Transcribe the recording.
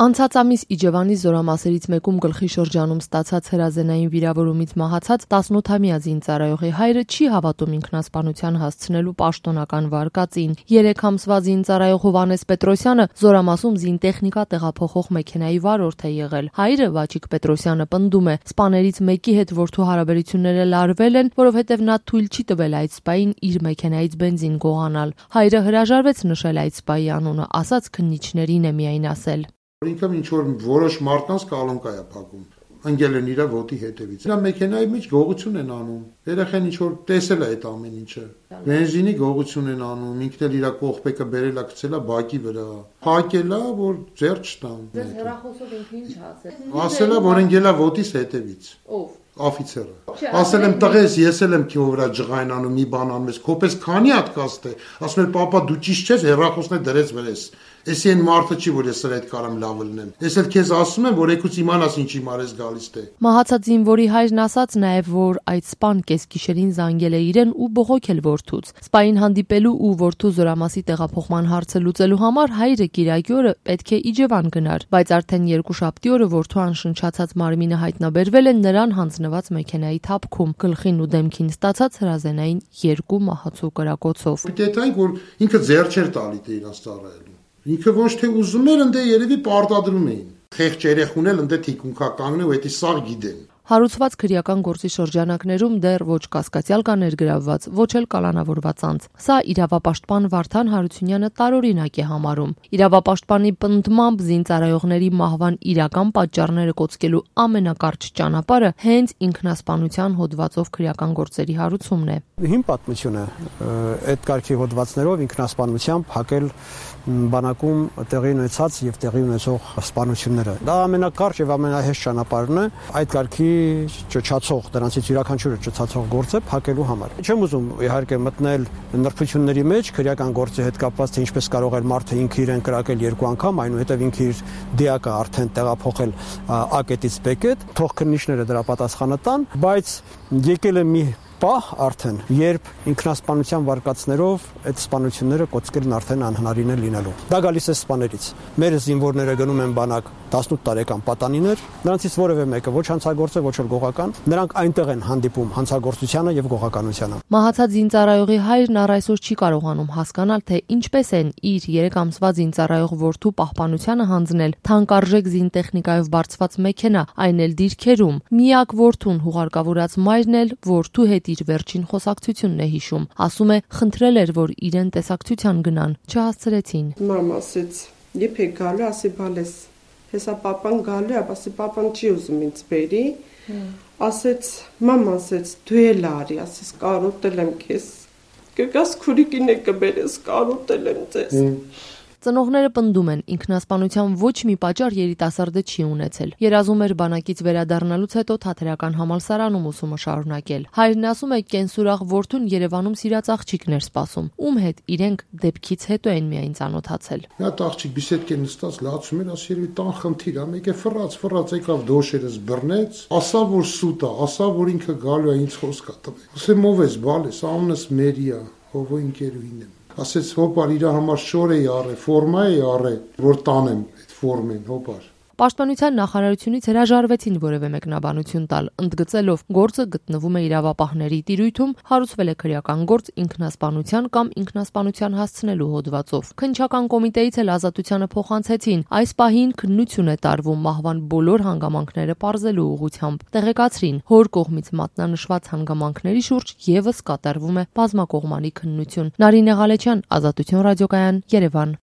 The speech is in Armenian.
Անցած ամիս Իջևանի զորամասերից մեկում գլխի շրջանում ստացած հրազենային վիրավորումից մահացած 18-ամյա զինծառայողի հայրը չի հավատում ինքնասպանության հասցնելու պաշտոնական վարկածին։ 3 ամսվա զինծառայող Հովհաննես Պետրոսյանը զորամասում զինտեխնիկա տեղափոխող մեքենայի վարորդ է եղել։ Հայրը Վաչիկ Պետրոսյանը պնդում է, սպաներից մեկի հետ որդու հարաբերությունները լարվել են, որովհետև նա թույլ չի տվել այդ սպային իր մեքենայից բենզին գողանալ։ Հայրը հրաժարվեց նշել այդ սպայի անունը, ասաց քննիչներին է միայն ասել. Ինքը ինչ-որ որոշ մարդկանց կալոնկա է փակում, ընկել են իր ոտի հետևից։ Նա մեքենայի մեջ գողություն են անում։ Երեխան ինչ-որ տեսել է այդ ամեն ինչը։ Բենզինի գողություն են անում, ինքն էլ իր կողպեկը բերել է գցել է բակի վրա։ Փակել է, որ ձեռ չտան։ Ձեր հեռախոսով ինքը ինչ ասել։ Ասել է, որ ընկել է ոտիս հետևից։ Ով։ Աֆիցերը։ Ասել եմ տղես, ես էլ եմ քո վրա ջղայն անում, մի բան անում ես, քոպես քանի հատ կաստ է։ Ասում եմ, պապա դու ճիշտ չես, հեռախոսն է դրես վրես։ Էսի այն մարդը չի, որ ես սրա հետ կարամ լավ լնեմ։ Ես էլ քեզ ասում եմ, որ եկուց իմանաս ինչի մարես գալիս է։ Մահացած զինվորի հայրն ասաց նաև, որ այդ սպան կեսգիշերին զանգել է իրեն ու բողոքել որդուց։ Սպային հանդիպելու ու որդու զորամասի տեղափոխման հարցը լուծելու համար հայրը կիրակի օրը պետք է Իջևան գնար, բայց արդեն երկուշաբթի օրը որդու անշնչացած մարմինը հայտնաբերվել է նրան հանձնված մեքենայի թափքում, գլխին ու դեմքին ստացած հրազենային 2 մահացու կրակոցով։ Դետայ, որ ինքը ձեռ չէր տալի դե իրաց ծառայելու։ Ինքը ոչ թե ուզում էր, ընդ երևի պարտադրում էին։ Խեղճ երեխուն էլ ընդ թիկունքա կանգնի ու դա սաղ գիտեն։ Հարուցված քրեական գործի շրջանակներում դեռ ոչ կասկածյալ կա ներգրավված, ոչ էլ կալանավորված անձ։ Սա իրավապաշտպան Վարդան Հարությունյանը տարօրինակ է համարում։ Իրավապաշտպանի պնդմամբ զինծառայողների մահվան իրական պատճառները կոծկելու ամենակարճ ճանապարհը հենց ինքնասպանության հոդվածով քրեական գործերի հարուցումն է։ Հիմ պատմությունը այդ կարգի հոդվածներով ինքնասպանությամբ հակել բանակում տեղի ունեցած եւ տեղի ունեցող սպանությունները։ Դա ամենակարճ եւ ամենահեշտ ճանապարհն է այդ կարգի ճչացող, դրանցից յուրաքանչյուրը ճչացող գործը փակելու համար։ Չեմ ուզում իհարկե մտնել նրբությունների մեջ, քրեական գործի հետ կապված թե ինչպես կարող է մարդը ինքը իրեն կրակել 2 անգամ, այնուհետև ինքը իր դիակը արդեն տեղափոխել A կետից B կետ, թող քննիչները դրա պատասխանը տան, բայց եկել է մի պահ արդեն, երբ ինքնասպանության վարկածներով այդ սպանությունները կոծկելն արդեն անհնարին է լինելու։ Դա գալիս է սպաներից։ Մեր զինվորները գնում են բանակ 18 տարեկան պատանիներ, նրանցից որևէ մեկը ոչ հանցագործ է, ոչ էլ գողական, նրանք այնտեղ են հանդիպում հանցագործությանը եւ գողականությանը։ Մահացած զինծառայողի հայրն առ այսօր չի կարողանում հասկանալ, թե ինչպես են իր 3 ամսվա զինծառայող որդու պահպանությանը հանձնել թանկարժեք զինտեխնիկայով բարձված մեքենա, այն էլ դիրքերում։ Միակ որդուն հուղարկավորած մայրն էլ որդու հետ իր վերջին խոսակցությունն է հիշում։ Ասում է, խնդրել էր, որ իրեն տեսակցության գնան, չհասցրեցին։ Մամ ասեց, «Երբ եք գալու, ասի բալես»։ Հեսա պապան գալու է, ասի պապան չի ուզում ինձ բերի։ Ասեց, մամ ասեց, դու էլ արի, ասես կարոտել եմ քեզ։ Կգաս քուրիկին է կբերես, կարոտել եմ ձեզ։ Ծնողները պնդում են, ինքնասպանության ոչ մի պատճառ երիտասարդը չի ունեցել։ Երազում էր բանակից վերադառնալուց հետո թատերական համալսարանում ուսումը շարունակել։ Հայրն ասում է, կենսուրախ որդուն Երևանում սիրած աղջիկն էր սպասում, ում հետ իրենք դեպքից հետո են միայն ծանոթացել։ Նա աղջիկ բիսեդկե նստած լացում էր, ասի երևի տան խնդիր է, մեկը ֆռած եկավ դոշերս բռնեց, ասա որ սուտ է, ասա որ ինքը գալու է ինձ խոսք տվել։ Ասեմ ով ես, բալես, անունս Մերիա, ով ընկերուհին եմ։ Ասեց հոպար իր համար շոր էի առե, ֆորմա էի առե, որ տանեմ այդ ֆորմեն, հոպար։ Պաշտպանության նախարարությունից հրաժարվեցին որևէ մեկնաբանություն տալ, ընդգծելով գործը գտնվում է իրավապահների տիրույթում, հարուցվել է քրեական գործ ինքնասպանության կամ ինքնասպանության հասցնելու հոդվածով։ Քննչական կոմիտեից էլ ազատությանը փոխանցեցին, այս պահին քննություն է տարվում մահվան բոլոր հանգամանքները պարզելու ուղղությամբ։ Տեղեկացրին, հոր կողմից մատնանշված հանգամանքների շուրջ եւս կատարվում է բազմակողմանի քննություն։ Նարինե Ղալեչյան, Ազատություն ռադիոկայան, Երևան։